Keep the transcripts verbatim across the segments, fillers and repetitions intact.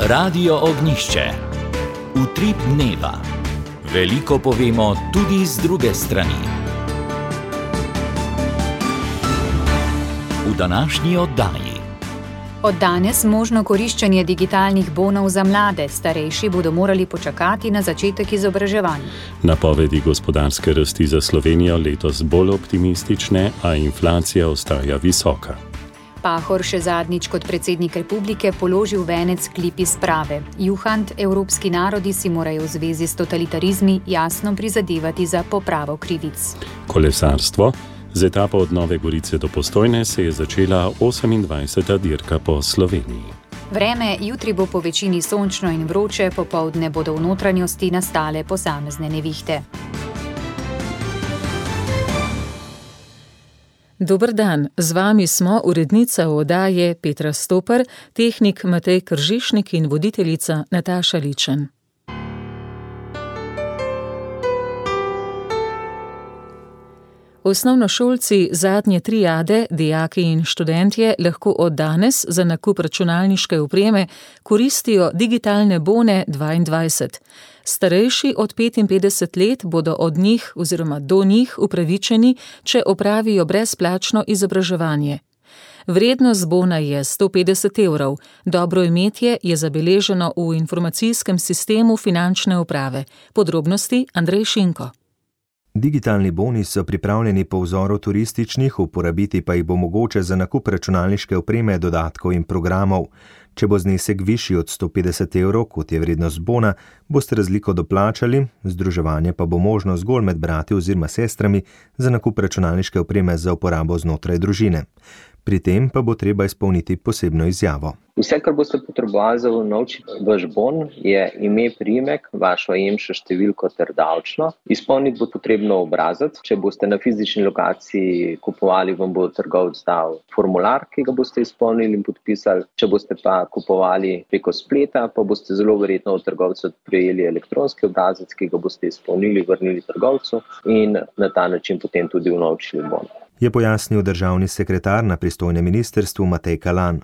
Radio Ognjišče. Utrip dneva. Veliko povemo tudi z druge strani. V današnji oddaji. Od danes možno koriščenje digitalnih bonov za mlade, starejši bodo morali počakati na začetek izobraževanja. Napovedi gospodarske rasti za Slovenijo letos bolj optimistične, a inflacija ostaja visoka. Pahor še zadnjič kot predsednik republike položil venec klipi sprave. Juhant, evropski narodi si morajo v zvezi s totalitarizmi jasno prizadevati za popravo krivic. Kolesarstvo. Z etapo od Nove Gorice do Postojne se je začela osemindvajseta dirka po Sloveniji. Vreme jutri bo po večini sončno in vroče, popoldne bodo v notranjosti nastale posamezne nevihte. Dober dan, z vami smo urednica oddaje Petra Stoper, tehnik Matej Kržišnik in voditeljica Nataša Ličen. Osnovnošolci zadnje triade, dijaki in študentje lahko od danes za nakup računalniške opreme koristijo digitalne bone dvaindvajset. Starejši od petinpetdeset let bodo od njih oziroma do njih upravičeni, če opravijo brezplačno izobraževanje. Vrednost bona je sto petdeset evrov, dobro imetje je zabeleženo v informacijskem sistemu finančne uprave. Podrobnosti Andrej Šinko. Digitalni boni so pripravljeni po vzoru turističnih, uporabiti pa jih bo mogoče za nakup računalniške opreme, dodatkov in programov. Če bo znesek višji od sto petdeset evrov, kot je vrednost bona, boste razliko doplačali, združevanje pa bo možno zgolj med brati oziroma sestrami za nakup računalniške opreme za uporabo znotraj družine. Pri tem pa bo treba izpolniti posebno izjavo. Vse, kar boste potrebovali za unovčiti vaš bon, je ime, priimek, vašo EMŠO številko ter davčno. Izpolniti bo potrebno obrazec. Če boste na fizični lokaciji kupovali, vam bo trgovec dal formular, ki ga boste izpolnili in podpisali. Če boste pa kupovali preko spleta, pa boste zelo verjetno od trgovca prejeli elektronski obrazec, ki ga boste izpolnili, vrnili trgovcu in na ta način potem tudi unovčili bon. Je pojasnil državni sekretar na pristojnem ministrstvu Matej Kalan.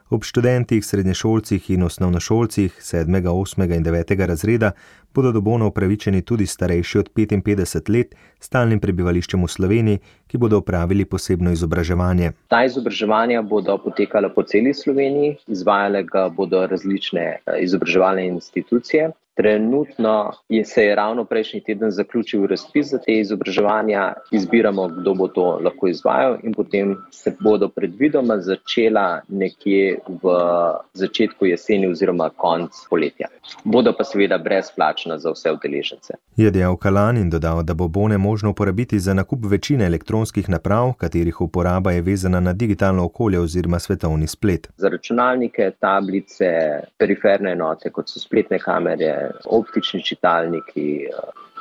Ob študentih, srednješolcih in osnovnošolcih sedmega, osmega in devetega razreda bodo do bonov upravičeni tudi starejši od petinpetdeset let s stalnim prebivališčem v Sloveniji, ki bodo opravili posebno izobraževanje. Ta izobraževanja bodo potekala po celi Sloveniji, izvajale ga bodo različne izobraževalne institucije. Trenutno je se je ravno prejšnji teden zaključil razpis za te izobraževanja, izbiramo, kdo bo to lahko izvajal in potem se bodo predvidoma začela nekje v začetku jeseni oziroma konc poletja. Bodo pa seveda brezplačna za vse udeležence. Je dejal Kalan in dodal, da bo bone možno uporabiti za nakup večine elektronskih naprav, katerih uporaba je vezana na digitalno okolje oziroma svetovni splet. Za računalnike, tablice, periferne enote, kot so spletne kamere, optični čitalniki,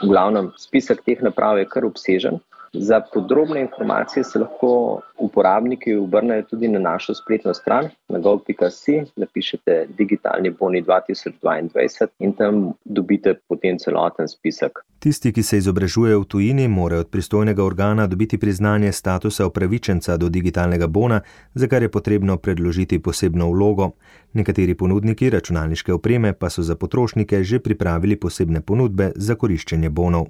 v glavnem spisek teh naprav je kar obsežen. Za podrobne informacije se lahko uporabniki obrnejo tudi na našo spletno stran na gov pika si, napišete digitalni boni dva tisoč dvaindvajset in tam dobite potem celoten spisek. Tisti, ki se izobražujejo v tujini, morajo od pristojnega organa dobiti priznanje statusa upravičenca do digitalnega bona, za kar je potrebno predložiti posebno vlogo. Nekateri ponudniki računalniške opreme pa so za potrošnike že pripravili posebne ponudbe za koriščenje bonov.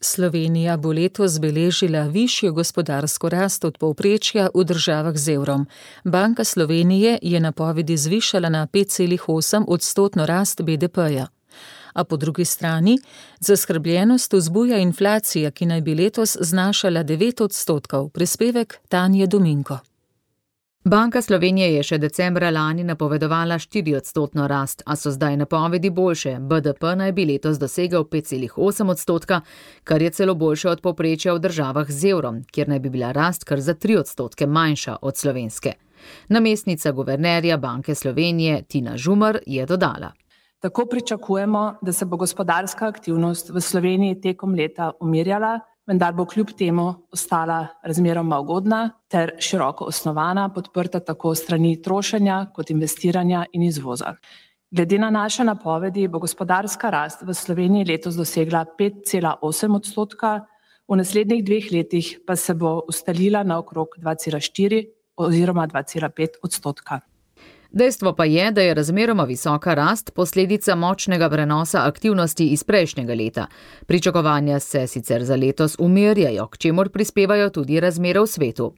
Slovenija bo letos beležila višjo gospodarsko rast od povprečja v državah z evrom. Banka Slovenije je napovedi zvišala na pet celih osem odstotno rast be de peja. A po drugi strani zaskrbljenost vzbuja inflacija, ki naj bi letos znašala devet odstotkov. Prispevek Tanje Dominko. Banka Slovenije je še decembra lani napovedovala štiriodstotno rast, a so zdaj napovedi boljše. be de pe naj bi letos dosegel pet celih osem odstotka, kar je celo boljše od povprečja v državah z evrom, kjer naj bi bila rast kar za tri odstotke manjša od slovenske. Namestnica guvernerja Banke Slovenije Tina Žumar je dodala. Tako pričakujemo, da se bo gospodarska aktivnost v Sloveniji tekom leta umirjala, vendar bo kljub temu ostala razmeroma ugodna ter široko osnovana, podprta tako strani trošenja kot investiranja in izvoza. Glede na naše napovedi bo gospodarska rast v Sloveniji letos dosegla pet celih osem odstotka, v naslednjih dveh letih pa se bo ustalila na okrog dva celih štiri oziroma dva celih pet odstotka. Dejstvo pa je, da je razmeroma visoka rast posledica močnega prenosa aktivnosti iz prejšnjega leta. Pričakovanja se sicer za letos umirjajo, k čemur prispevajo tudi razmere v svetu.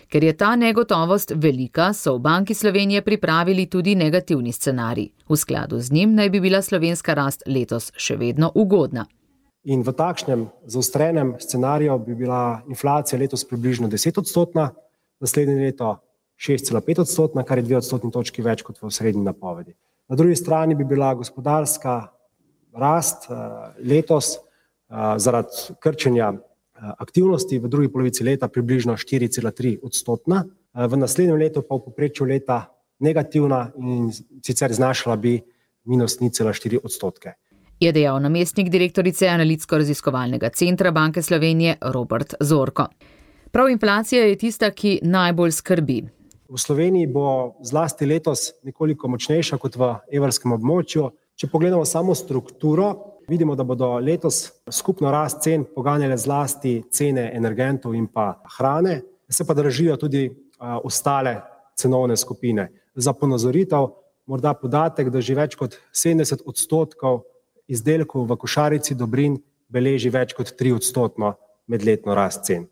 Ker je ta negotovost velika, so v Banki Slovenije pripravili tudi negativni scenarij. V skladu z njim naj bi bila slovenska rast letos še vedno ugodna. In v takšnem zaostrenem scenariju bi bila inflacija letos približno deset odstotna, naslednje leto šest cela pet odstotna, kar je dve odstotni točki več kot v osrednji napovedi. Na drugi strani bi bila gospodarska rast letos zaradi krčenja aktivnosti v drugi polovici leta približno štiri cela tri odstotna, v naslednjem letu pa v povprečju leta negativna in sicer znašala bi minus nič cela štiri odstotke. Je dejal namestnik direktorice Analitsko-raziskovalnega centra Banke Slovenije Robert Zorko. Prav inflacija je tista, ki najbolj skrbi. V Sloveniji bo zlasti letos nekoliko močnejša kot v evrskem območju. Če pogledamo samo strukturo, vidimo, da bodo letos skupno rast cen poganjale zlasti cene energentov in pa hrane, se pa dražijo tudi a, ostale cenovne skupine. Za ponazoritev morda podatek, da že več kot sedemdeset odstotkov izdelkov v košarici dobrin beleži več kot tri odstotno medletno rast cen.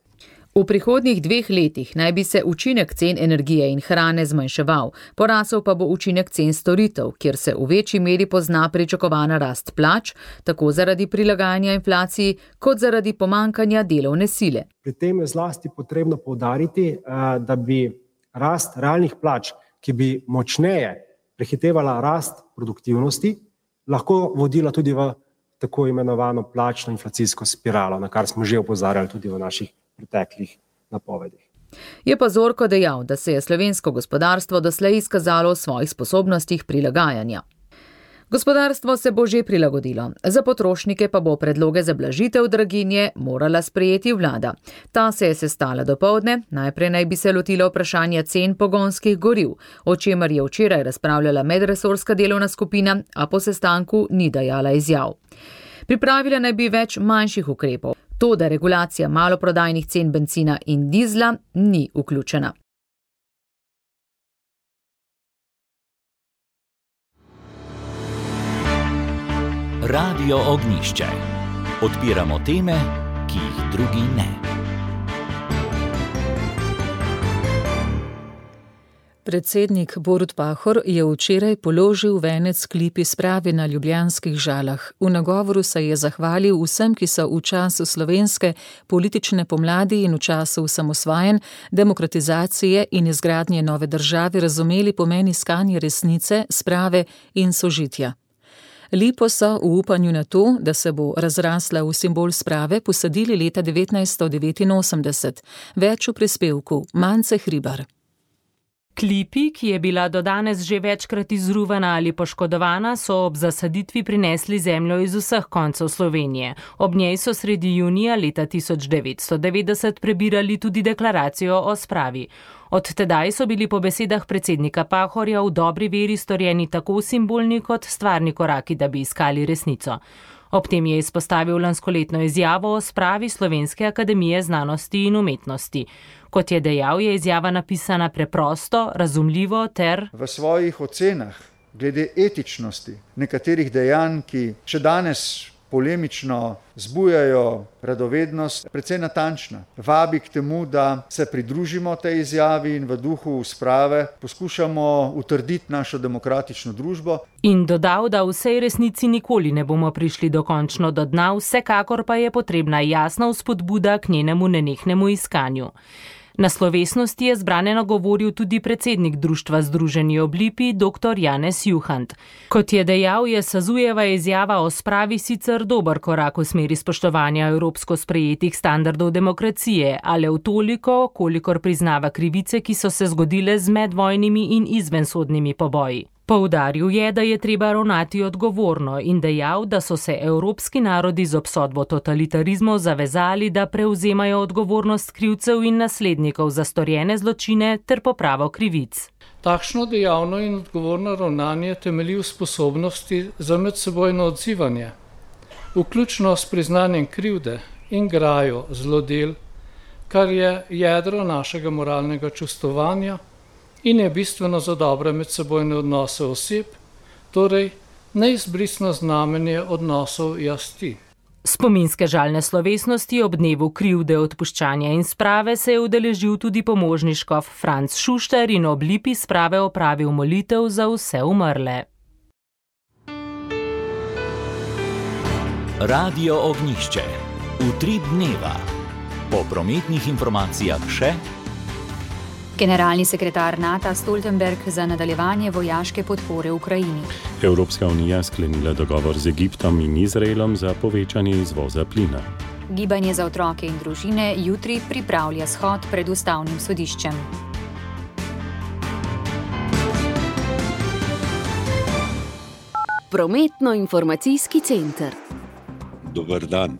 V prihodnjih dveh letih naj bi se učinek cen energije in hrane zmanjševal, porasel pa bo učinek cen storitev, kjer se v večji meri pozna pričakovana rast plač, tako zaradi prilagajanja inflaciji, kot zaradi pomankanja delovne sile. Pri tem je zlasti potrebno poudariti, da bi rast realnih plač, ki bi močneje prehitevala rast produktivnosti, lahko vodila tudi v tako imenovano plačno inflacijsko spiralo, na kar smo že opozarjali tudi v naših preteklih napovedih. Je pa Zorko dejal, da se je slovensko gospodarstvo doslej izkazalo v svojih sposobnostih prilagajanja. Gospodarstvo se bo že prilagodilo, za potrošnike pa bo predloge za blažitev draginje morala sprejeti vlada. Ta se je sestala dopoldne, najprej naj bi se lotila vprašanja cen pogonskih goriv, o čemer je včeraj razpravljala medresorska delovna skupina, a po sestanku ni dajala izjav. Pripravila naj bi več manjših ukrepov, to, da regulacija maloprodajnih cen bencina in dizla ni vključena. Radio Ognjišče. Odpiramo teme, ki jih drugi ne. Predsednik Borut Pahor je včeraj položil venec Klipi sprave na ljubljanskih Žalah. V nagovoru se je zahvalil vsem, ki so v času slovenske politične pomladi in v času osamosvajanj, demokratizacije in izgradnje nove države razumeli pomen iskanja resnice, sprave in sožitja. Lipo so v upanju na to, da se bo razrasla v simbol sprave, posadili leta devetnajststo devetinosemdeset. Več v prispevku Mance Hribar. Klipi, ki je bila do danes že večkrat izruvana ali poškodovana, so ob zasaditvi prinesli zemljo iz vseh koncev Slovenije. Ob njej so sredi junija leta tisoč devetsto devetdeset prebirali tudi deklaracijo o spravi. Od tedaj so bili po besedah predsednika Pahorja v dobri veri storjeni tako simbolni kot stvarni koraki, da bi iskali resnico. Ob tem je izpostavil lanskoletno izjavo o spravi Slovenske akademije znanosti in umetnosti. Kot je dejal, je izjava napisana preprosto, razumljivo ter v svojih ocenah glede etičnosti nekaterih dejanj, ki še danes polemično zbujajo radovednost, precej natančna. Vabi k temu, da se pridružimo tej izjavi in v duhu sprave poskušamo utrditi našo demokratično družbo. In dodal, da v vsej resnici nikoli ne bomo prišli dokončno do dna, vsekakor pa je potrebna jasna vzpodbuda k njenemu nenehnemu iskanju. Na slovesnosti je zbrane nagovoril tudi predsednik društva Združeni ob Lipi, dr. Janez Juhant. Kot je dejal, je Sazujeva izjava o spravi sicer dober korak v smeri spoštovanja evropsko sprejetih standardov demokracije, ale v toliko, kolikor priznava krivice, ki so se zgodile z medvojnimi in izvensodnimi poboji. Poudaril je, da je treba ravnati odgovorno in dejal, da so se evropski narodi z obsodbo totalitarizmov zavezali, da prevzemajo odgovornost krivcev in naslednikov za storjene zločine ter popravo krivic. Takšno dejavno in odgovorno ravnanje temelji v sposobnosti za medsebojno odzivanje, vključno s priznanjem krivde in grajo zlodel, kar je jedro našega moralnega čustvovanja in je bistveno za dobre medsebojne odnose oseb, torej neizbrisno znamenje odnosov jaz-ti. Spominske žalne slovesnosti ob dnevu krivde, odpuščanja in sprave se je udeležil tudi pomožni škof Franc Šušter in ob lipi sprave opravil molitev za vse umrle. Radio Ognjišče. Utrip dneva. Po prometnih informacijah še Generalni sekretar NATO Stoltenberg za nadaljevanje vojaške podpore Ukrajini. Evropska unija sklenila dogovor z Egiptom in Izraelom za povečanje izvoza plina. Gibanje za otroke in družine jutri pripravlja shod pred ustavnim sodiščem. Prometno-informacijski center. Dober dan.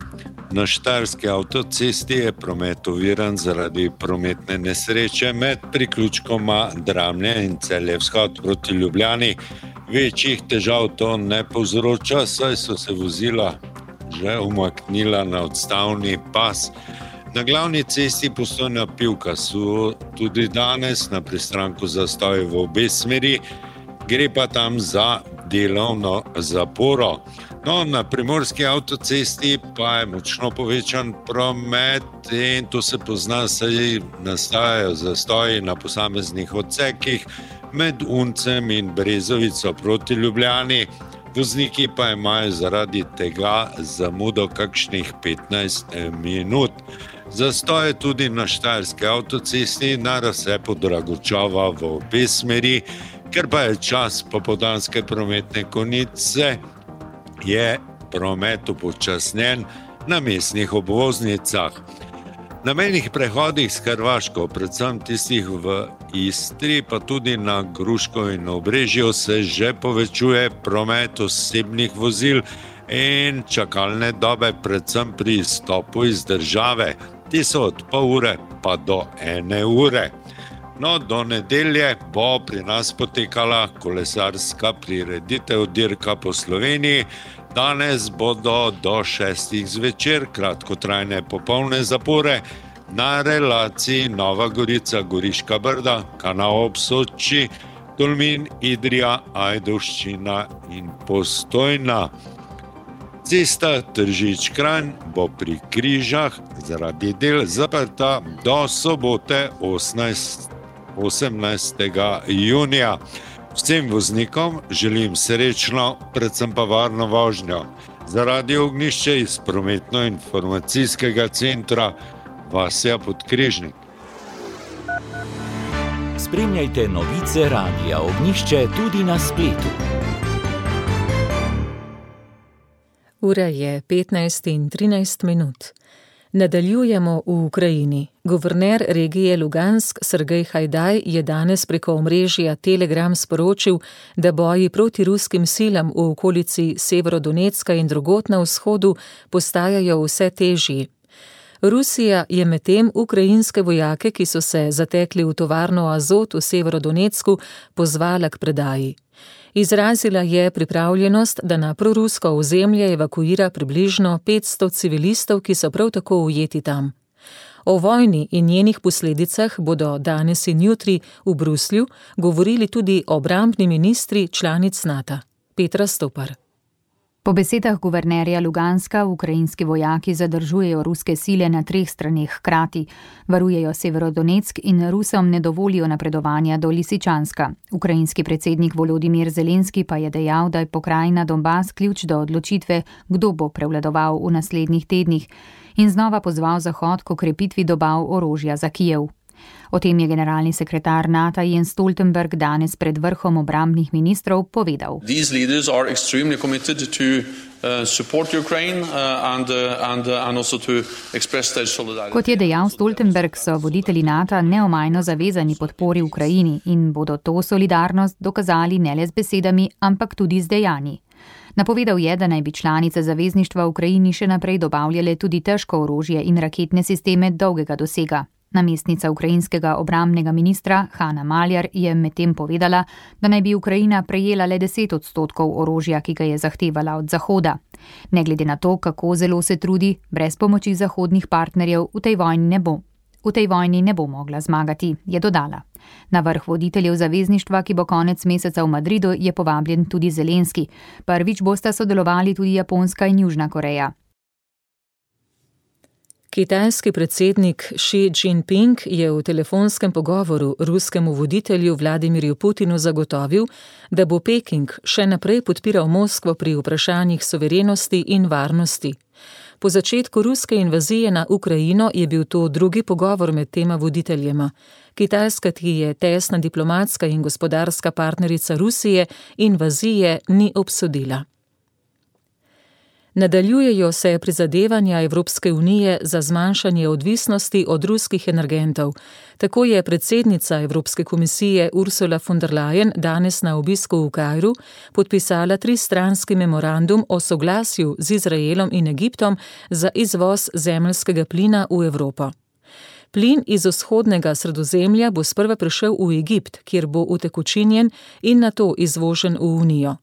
Na Štajerski avtocesti je promet oviran zaradi prometne nesreče med priključkoma Dramlje in Celje vzhod proti Ljubljani. Večjih težav to ne povzroča, saj so se vozila že umaknila na odstavni pas. Na glavni cesti Postojna-Pivka so tudi danes na pristanku zastoji v obe smeri, gre pa tam za delovno zaporo. No, na primorski avtocesti pa je močno povečan promet in to se pozna, saj nastajajo zastoji na posameznih odsekih med Uncem in Brezovico proti Ljubljani. Vozniki pa imajo zaradi tega zamudo kakšnih petnajst minut. Zastoj je tudi na Štajerski avtocesti na razcepu Dragočova v obe smeri, ker pa je čas popoldanske prometne konice, je promet upočasnjen na mestnih obvoznicah. Na mejnih prehodih s Hrvaško, predvsem tistih v Istri, pa tudi na Gruško in Obrežju se že povečuje promet osebnih vozil in čakalne dobe, predvsem pri izstopu iz države. Ti so od pol ure pa do ene ure. No, do nedelje bo pri nas potekala kolesarska prireditev Dirka po Sloveniji. Danes bodo do šestih zvečer kratkotrajne popolne zapore na relaciji Nova Gorica-Goriška Brda, Kanal ob Soči, Tolmin, Idrija, Ajdovščina in Postojna. Cesta Tržič-Kranj bo pri Križah zaradi del zaprta do sobote osemnajstega junija. Vsem voznikom želim srečno, predvsem pa varno vožnjo. Za Radio Ognjišče iz prometno-informacijskega centra Vasja Podkrižnik. Spremljajte novice Radia Ognjišče tudi na spletu. Ura je petnajst in trinajst minut. Nadaljujemo v Ukrajini. Guverner regije Lugansk Sergej Hajdaj je danes preko omrežja Telegram sporočil, da boji proti ruskim silam v okolici Severodonecka in drugod na vzhodu postajajo vse težji. Rusija je medtem ukrajinske vojake, ki so se zatekli v tovarno Azot v Severodonecku, pozvala k predaji. Izrazila je pripravljenost, da na prorusko ozemlje evakuira približno petsto civilistov, ki so prav tako ujeti tam. O vojni in njenih posledicah bodo danes in jutri v Bruslju govorili tudi obrambni ministri članic NATO. Petra Stopar. Po besedah guvernerja Luganska ukrajinski vojaki zadržujejo ruske sile na treh straneh hkrati, varujejo Severodoneck in Rusom ne dovolijo napredovanja do Lisičanska. Ukrajinski predsednik Volodimir Zelenski pa je dejal, da je pokrajina Donbas ključ do odločitve, kdo bo prevladoval v naslednjih tednih, in znova pozval Zahod k okrepitvi dobav orožja za Kijev. O tem je generalni sekretar NATO Jens Stoltenberg danes pred vrhom obrambnih ministrov povedal. These leaders are extremely committed to uh, support Ukraine uh, and, uh, and, uh, and also to express their solidarity. Kot je dejal Stoltenberg, so voditelji NATO neomajno zavezani podpori Ukrajini in bodo to solidarnost dokazali ne le z besedami, ampak tudi z dejanji. Napovedal je, da naj bi članice zavezništva Ukrajini še naprej dobavljale tudi težko orožje in raketne sisteme dolgega dosega. Namestnica ukrajinskega obrambnega ministra Hanna Maljar je medtem povedala, da naj bi Ukrajina prejela le deset odstotkov orožja, ki ga je zahtevala od Zahoda. Ne glede na to, kako zelo se trudi, brez pomoči zahodnih partnerjev v tej vojni ne bo. v tej vojni ne bo mogla zmagati, je dodala. Na vrh voditeljev zavezništva, ki bo konec meseca v Madridu, je povabljen tudi Zelenski. Prvič bosta sodelovali tudi Japonska in Južna Koreja. Kitajski predsednik Xi Jinping je v telefonskem pogovoru ruskemu voditelju Vladimirju Putinu zagotovil, da bo Peking še naprej podpiral Moskvo pri vprašanjih suverenosti in varnosti. Po začetku ruske invazije na Ukrajino je bil to drugi pogovor med tema voditeljema. Kitajska, ki je tesna diplomatska in gospodarska partnerica Rusije, invazije ni obsodila. Nadaljujejo se prizadevanja Evropske unije za zmanjšanje odvisnosti od ruskih energentov. Tako je predsednica Evropske komisije Ursula von der Leyen danes na obisku v Kairu podpisala tristranski memorandum o soglasju z Izraelom in Egiptom za izvoz zemeljskega plina v Evropo. Plin iz vzhodnega Sredozemlja bo sprva prišel v Egipt, kjer bo utekočinjen in nato izvožen v Unijo.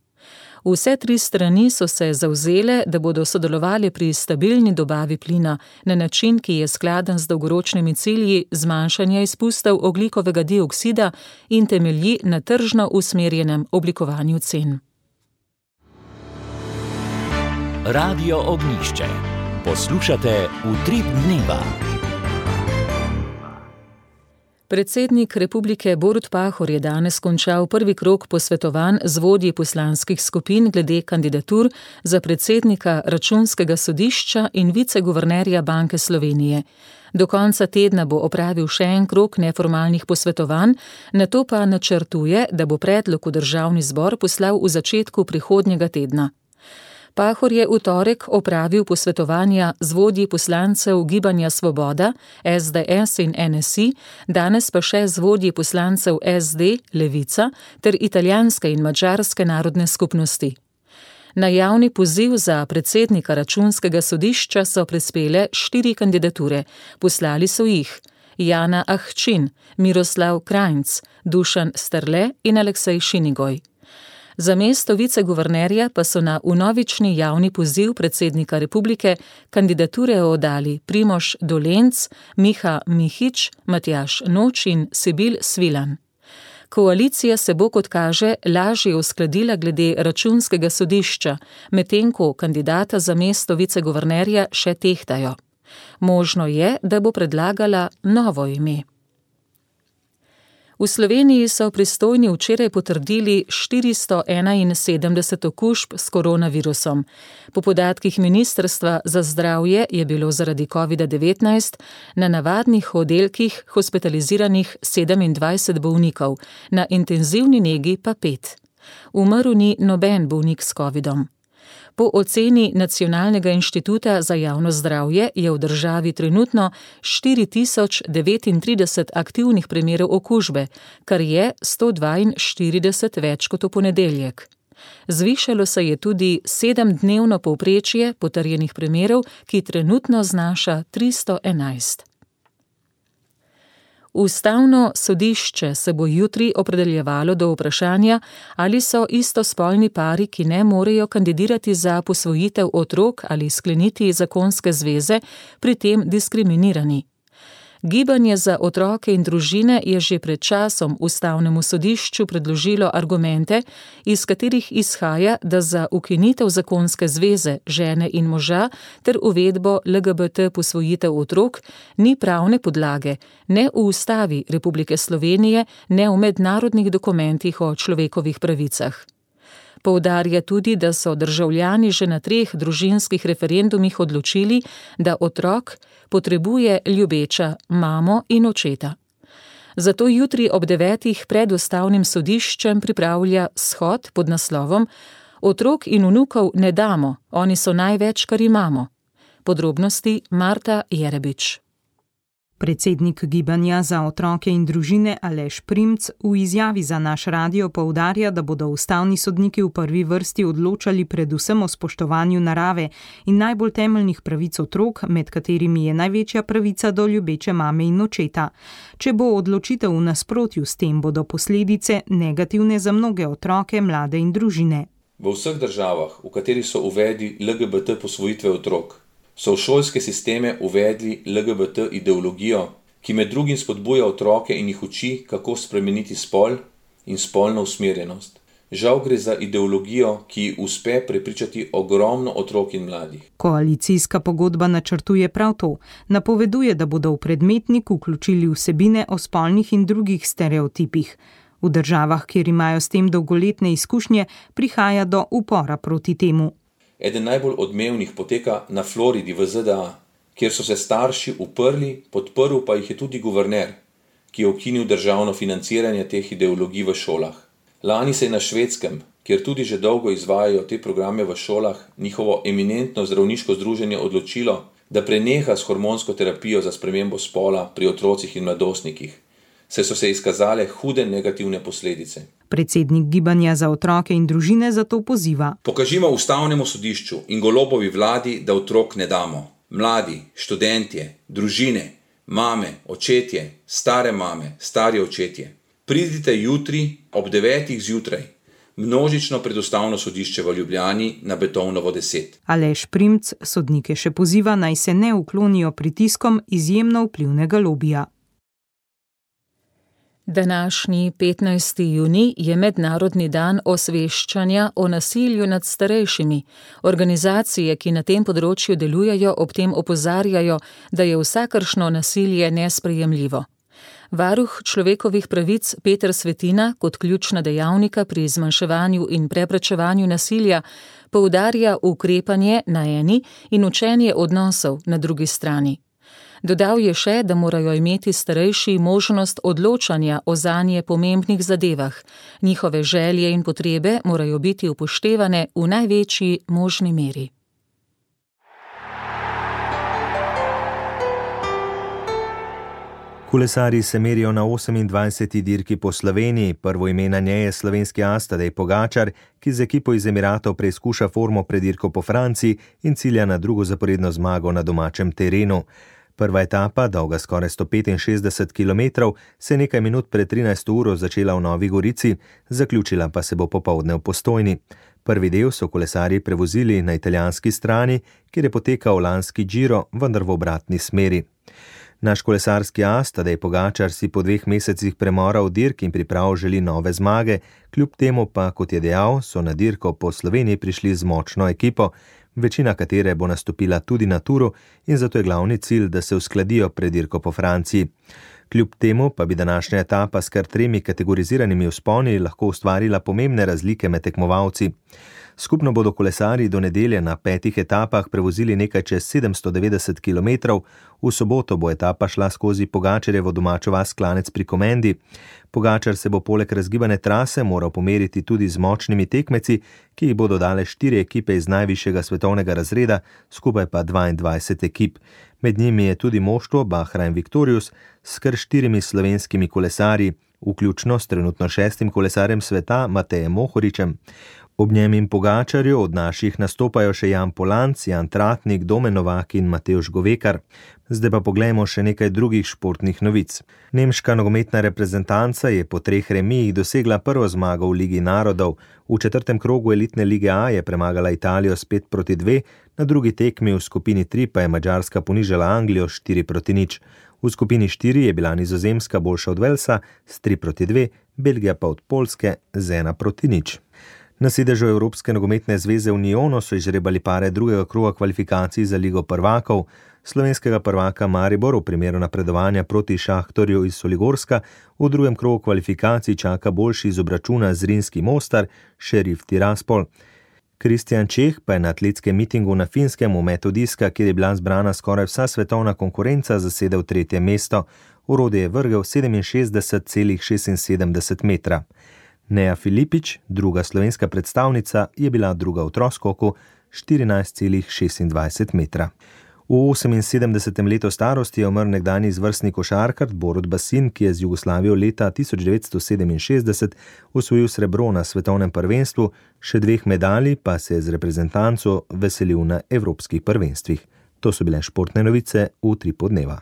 Vse tri strani so se zavzele, da bodo sodelovali pri stabilni dobavi plina na način, ki je skladen z dolgoročnimi cilji zmanjšanja izpustov ogljikovega dioksida in temelji na tržno usmerjenem oblikovanju cen. Radio Ognjišče. Poslušate Utrip dneva. Predsednik republike Borut Pahor je danes končal prvi krog posvetovanj z vodji poslanskih skupin glede kandidatur za predsednika Računskega sodišča in viceguvernerja Banke Slovenije. Do konca tedna bo opravil še en krog neformalnih posvetovanj, nato pa načrtuje, da bo predlog v državni zbor poslal v začetku prihodnjega tedna. Pahor je v torek opravil posvetovanja z vodji poslancev Gibanja Svoboda, S D S in N S I, danes pa še z vodji poslancev S D, Levica ter italijanske in madžarske narodne skupnosti. Na javni poziv za predsednika Računskega sodišča so prispele štiri kandidature. Poslali so jih Jana Ahčin, Miroslav Krajnc, Dušan Sterle in Aleksej Šinigoj. Za mesto viceguvernerja pa so na vnovični javni poziv predsednika republike kandidature oddali Primož Dolenc, Miha Mihič, Matjaž Noč in Sibil Svilan. Koalicija se bo, kot kaže, lažje uskladila glede Računskega sodišča, medtem ko kandidata za mesto viceguvernerja še tehtajo. Možno je, da bo predlagala novo ime. V Sloveniji so pristojni včeraj potrdili štiristo enainsedemdeset okužb s koronavirusom. Po podatkih Ministrstva za zdravje je bilo zaradi kovida devetnajst na navadnih oddelkih hospitaliziranih sedemindvajset bolnikov, na intenzivni negi pa pet. Umrl ni noben bolnik s covidom. Po oceni Nacionalnega inštituta za javno zdravje je v državi trenutno štiri tisoč devetintrideset aktivnih primerov okužbe, kar je sto dvainštirideset več kot v ponedeljek. Zvišalo se je tudi sedemdnevno povprečje potrjenih primerov, ki trenutno znaša tristo enajst. Ustavno sodišče se bo jutri opredeljevalo do vprašanja, ali so istospolni pari, ki ne morejo kandidirati za posvojitev otrok ali skleniti zakonske zveze, pri tem diskriminirani. Gibanje za otroke in družine je že pred časom Ustavnemu sodišču predložilo argumente, iz katerih izhaja, da za ukinitev zakonske zveze žene in moža ter uvedbo L G B T posvojitev otrok ni pravne podlage, ne v Ustavi Republike Slovenije, ne v mednarodnih dokumentih o človekovih pravicah. Poudarja tudi, da so državljani že na treh družinskih referendumih odločili, da otrok potrebuje ljubeča mamo in očeta. Zato jutri ob devetih pred Ustavnim sodiščem pripravlja shod pod naslovom Otrok in vnukov ne damo, oni so največ, kar imamo. Podrobnosti Marta Jerebič. Predsednik Gibanja za otroke in družine Aleš Primc v izjavi za naš radio poudarja, da bodo ustavni sodniki v prvi vrsti odločali predvsem o spoštovanju narave in najbolj temeljnih pravic otrok, med katerimi je največja pravica do ljubeče mame in očeta. Če bo odločitev v nasprotju s tem, bodo posledice negativne za mnoge otroke, mlade in družine. V vseh državah, v katerih so uvedli L G B T posvojitve otrok, so v šolske sisteme uvedli L G B T ideologijo ki med drugim spodbuja otroke in jih uči, kako spremeniti spol in spolno usmerjenost. Žal gre za ideologijo, ki uspe prepričati ogromno otrok in mladih. Koalicijska pogodba načrtuje prav to. Napoveduje, da bodo v predmetnik vključili vsebine o spolnih in drugih stereotipih. V državah, kjer imajo s tem dolgoletne izkušnje, prihaja do upora proti temu. Eden najbolj odmevnih poteka na Floridi v Z D A, kjer so se starši uprli, podprl pa jih je tudi guverner, ki je ukinil državno financiranje teh ideologij v šolah. Lani se je na Švedskem, kjer tudi že dolgo izvajajo te programe v šolah, njihovo eminentno zdravniško združenje odločilo, da preneha s hormonsko terapijo za spremembo spola pri otrocih in mladostnikih, saj so se izkazale hude negativne posledice. Predsednik Gibanja za otroke in družine zato poziva: Pokažimo ustavnemu sodišču in Golobovi vladi, da otrok ne damo. Mladi, študentje, družine, mame, očetje, stare mame, stari očetje. Pridite jutri ob devetih zjutraj, množično pred ustavno sodišče v Ljubljani na Beethovnovo deset. Aleš Primc sodnike še poziva, naj se ne uklonijo pritiskom izjemno vplivnega lobija. Današnji petnajsti junij je mednarodni dan osveščanja o nasilju nad starejšimi. Organizacije, ki na tem področju delujejo, ob tem opozarjajo, da je vsakršno nasilje nesprejemljivo. Varuh človekovih pravic Peter Svetina kot ključna dejavnika pri zmanjševanju in preprečevanju nasilja poudarja ukrepanje na eni in učenje odnosov na drugi strani. Dodal je še, da morajo imeti starejši možnost odločanja o zanje pomembnih zadevah. Njihove želje in potrebe morajo biti upoštevane v največji možni meri. Kolesarji se merijo na osemindvajseti dirki po Sloveniji. Prvo ime na njej je slovenski as Tadej Pogačar, ki z ekipo iz Emiratov preizkuša formo pred dirko po Franciji in cilja na drugo zaporedno zmago na domačem terenu. Prva etapa, dolga skoraj sto petinšestdeset kilometrov, se je nekaj minut pred trinajsto uro začela v Novi Gorici, zaključila pa se bo popoldne v Postojni. Prvi del so kolesarji prevozili na italijanski strani, kjer je potekal lanski Giro, vendar v obratni smeri. Naš kolesarski as Tadej Pogačar si po dveh mesecih premora v dirk in priprav želi nove zmage, kljub temu pa, kot je dejal, so na dirko po Sloveniji prišli z močno ekipo, večina katere bo nastopila tudi na turu in zato je glavni cilj, da se uskladijo pred dirko po Franciji. Kljub temu pa bi današnja etapa s kar tremi kategoriziranimi vzponi lahko ustvarila pomembne razlike med tekmovalci. Skupno bodo kolesarji do nedelje na petih etapah prevozili nekaj čez sedemsto devetdeset kilometrov, v soboto bo etapa šla skozi Pogačarjevo domačo vas Klanec pri Komendi. Pogačar se bo poleg razgibane trase moral pomeriti tudi z močnimi tekmeci, ki jih bodo dale štiri ekipe iz najvišjega svetovnega razreda, skupaj pa dvaindvajset ekip. Med njimi je tudi moštvo Bahrain Victorious s kar štirimi slovenskimi kolesarji, vključno s trenutno šestim kolesarjem sveta Matejem Mohoričem. Ob njem in Pogačarju od naših nastopajo še Jan Polanc, Jan Tratnik, Domen Novak in Matevž Govekar. Zdaj pa poglejmo še nekaj drugih športnih novic. Nemška nogometna reprezentanca je po treh remijih dosegla prvo zmago v Ligi narodov. V četrtem krogu elitne lige A je premagala Italijo s pet proti dve, na drugi tekmi v skupini tri pa je Madžarska ponižala Anglijo štiri proti nič. V skupini štiri je bila Nizozemska boljša od Velsa s tri proti dve, Belgija pa od Poljske z ena proti nič. Na sedežu Evropske nogometne zveze v Nyonu so izžrebali pare drugega kroga kvalifikacij za Ligo prvakov. Slovenskega prvaka Maribor v primeru napredovanja proti Šahtorju iz Soligorska v drugem krogu kvalifikacij čaka boljši iz obračuna z Zrinski Mostar, Šerif Tiraspol. Kristjan Čeh pa je na atletskem mitingu na Finskem v metu diska, kjer je bila zbrana skoraj vsa svetovna konkurenca, zasedel tretje mesto. Orodje je vrgel sedeminšestdeset celih šestinsedemdeset metra. Neja Filipič, druga slovenska predstavnica, je bila druga v troskoku štirinajst celih šestindvajset metra. V oseminsedemdesetem letu starosti je umrl nekdanji izvrstni košarkar Borut Basin, ki je z Jugoslavijo leta tisoč devetsto sedeminšestdeset osvojil srebro na svetovnem prvenstvu, še dveh medalj pa se je z reprezentanco veselil na evropskih prvenstvih. To so bile športne novice v Utripu dneva.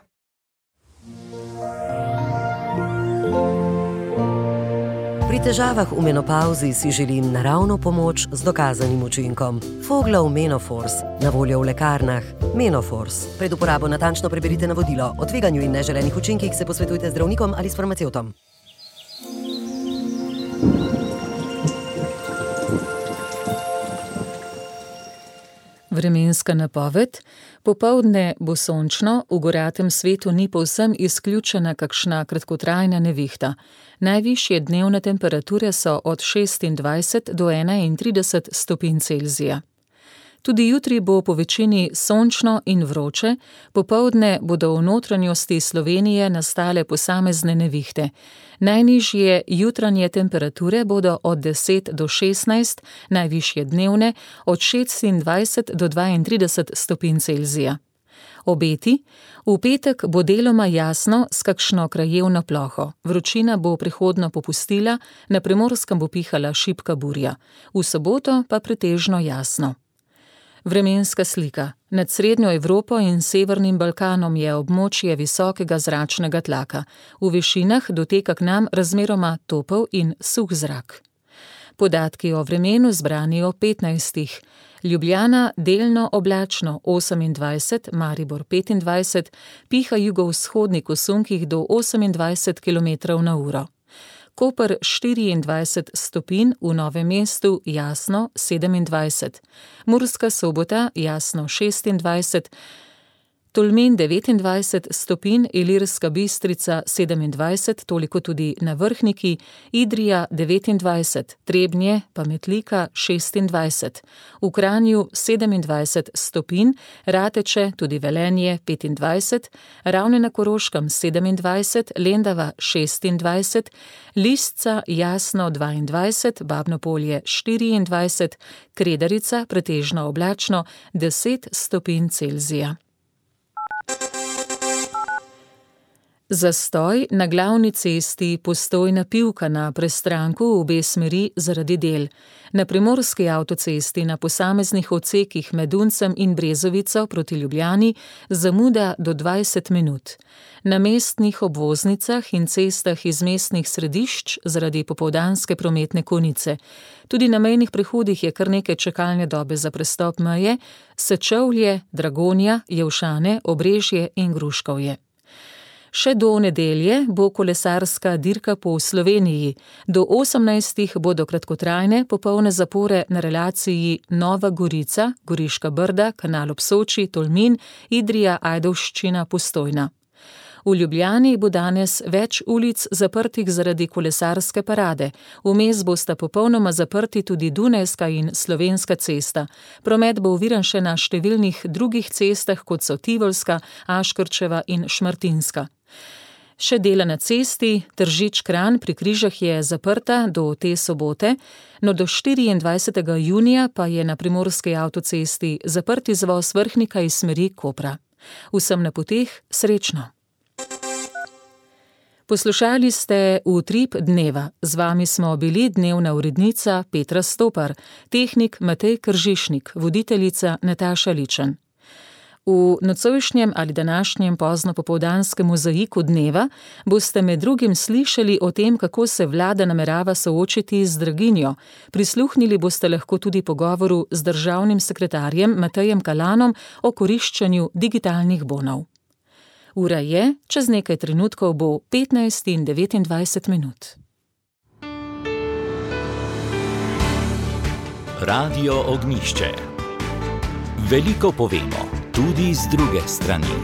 Pri težavah v menopauzi si želim naravno pomoč z dokazanim učinkom. Foglov Menoforce, na voljo v lekarnah. Menoforce. Pred uporabo natančno preberite navodilo. O tveganju in neželenih učinkih se posvetujte z zdravnikom ali s farmacevtom. Vremenska napoved. Popoldne bo sončno, v goratem svetu ni povsem izključena kakšna kratkotrajna nevihta. Najvišje dnevne temperature so od šestindvajset do enaintrideset stopinj Celzija. Tudi jutri bo po večini sončno in vroče, popoldne bodo v notranjosti Slovenije nastale posamezne nevihte. Najnižje jutranje temperature bodo od deset do šestnajst, najvišje dnevne od šestindvajset do dvaintrideset stopinj Celzija. Obeti. V petek bo deloma jasno s kakšno krajevno ploho. Vročina bo prehodno popustila, na Primorskem bo pihala šibka burja. V soboto pa pretežno jasno. Vremenska slika. Nad Srednjo Evropo in Severnim Balkanom je območje visokega zračnega tlaka. V višinah doteka k nam razmeroma topel in suh zrak. Podatki o vremenu zbrani o petnajstih. Ljubljana delno oblačno osemindvajset, Maribor petindvajset, piha jugovzhodnik v sunkih do osemindvajset kilometrov na uro. Koper štiriindvajset stopinj, v Novem mestu jasno sedemindvajset. Murska Sobota jasno šestindvajset, Tolmin devetindvajset stopinj, Ilirska Bistrica sedemindvajset, toliko tudi na Vrhniki, Idrija devetindvajset, Trebnje pa Metlika šestindvajset. V Kranju sedemindvajset stopinj, Rateče tudi Velenje petindvajset, Ravne na Koroškem sedemindvajset, Lendava šestindvajset, Lisca jasno dvaindvajset, Babno Polje štiriindvajset, Kredarica pretežno oblačno deset stopinj Celzija. Zastoj na glavni cesti Postojna-Pivka na prestranku v obe smeri zaradi del. Na primorski avtocesti na posameznih odsekih med Uncem in Brezovico proti Ljubljani zamuda do dvajset minut. Na mestnih obvoznicah in cestah iz mestnih središč zaradi popoldanske prometne konice. Tudi na mejnih prehodih je kar nekaj čakalne dobe za prestop meje, Sečovlje, Dragonja, Jelšane, Obrežje in Gruškovje. Še do nedelje bo kolesarska dirka po Sloveniji. Do osemnajstih bodo kratkotrajne popolne zapore na relaciji Nova Gorica, Goriška Brda, Kanal ob Soči, Tolmin, Idrija, Ajdovščina, Postojna. V Ljubljani bo danes več ulic zaprtih zaradi kolesarske parade. Vmes bosta popolnoma zaprti tudi Dunajska in Slovenska cesta. Promet bo oviran še na številnih drugih cestah, kot so Tivolska, Aškrčeva in Šmartinska. Še dela na cesti Tržič-Kranj pri Križah je zaprta do te sobote, no do štiriindvajsetega junija pa je na primorski avtocesti zaprt izvoz Vrhnika iz smeri Kopra. Vsem na poteh srečno! Poslušali ste Utrip dneva. Z vami smo bili dnevna urednica Petra Stopar, tehnik Matej Kržišnik, voditeljica Nataša Ličen. V nocojšnjem ali današnjem pozno popoldanskem mozaiku dneva boste med drugim slišali o tem, kako se vlada namerava soočiti z draginjo. Prisluhnili boste lahko tudi pogovoru z državnim sekretarjem Matejem Kalanom o koriščenju digitalnih bonov. Ura je, čez nekaj trenutkov bo petnajst in devetindvajset minut. Radio Ognjišče. Veliko povemo, tudi z druge strani.